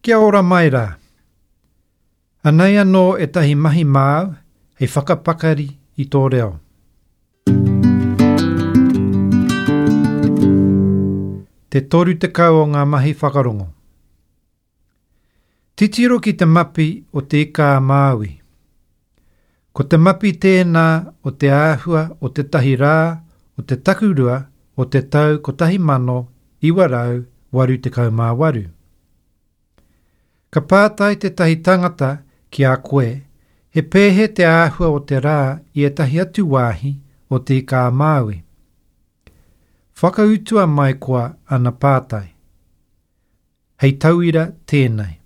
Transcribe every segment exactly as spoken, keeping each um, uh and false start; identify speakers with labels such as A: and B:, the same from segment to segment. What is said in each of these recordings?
A: Kia ora mai rā. Anei anō ētahi mahi māu hei whakapakari i tō reo. Te toru tekau o ngā mahi whakarongo. Titiro ki te mapi o te ika a Māui. Ko te mapi tēnā o te āhua o tētahi rā o te takurua o te tau kotahi mano iwa rau waru tekau mā waru. Ka pātai tētahi tangata ki a koe, he pēhea te āhua o te rā i ētahi atu wāhi o te ika a Māui. Whakautua mai koa ana pātai. Hei tauira tēnei.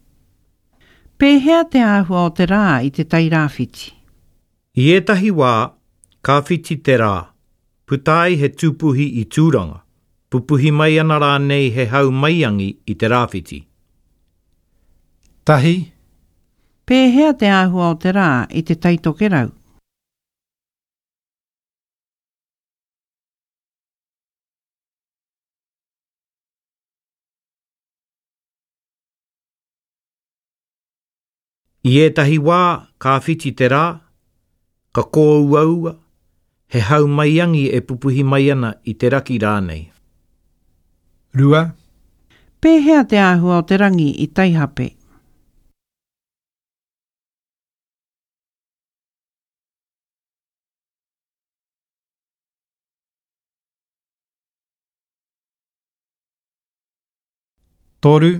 B: Pēhea te āhua o te rā i te Tairāwhiti?
C: I ētahi wā, ka whiti te rā, puta ai he tūpuhi i Tūranga, pupuhi mai ana rānei he hau maiangi i te rāwhiti.
A: Tahi.
B: Pēhea te āhua o te rā i te Taitokerau?
C: I ētahi wā, ka whiti te rā, ka kōuaua, he hau maiangi e pupuhi mai ana i te raki rānei.
A: Rua.
B: Pēhea te āhua o te rangi i Taihape?
A: Toru.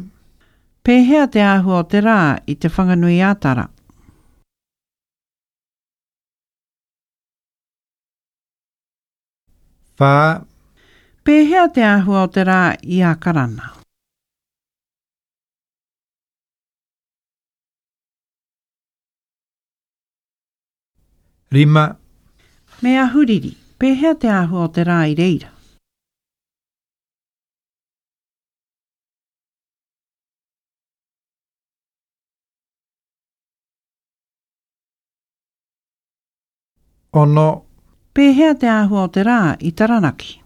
B: Pēhea te āhua o te rā i te Whanganui-ā-Tara?
A: Whā.
B: Pēhea te āhua o te rā i Ākarana?
A: Rima.
B: Me Ahuriri, pēhea te āhua o te rā i reira?
A: Ono.
B: Pēhea te āhua o te rā i Taranaki?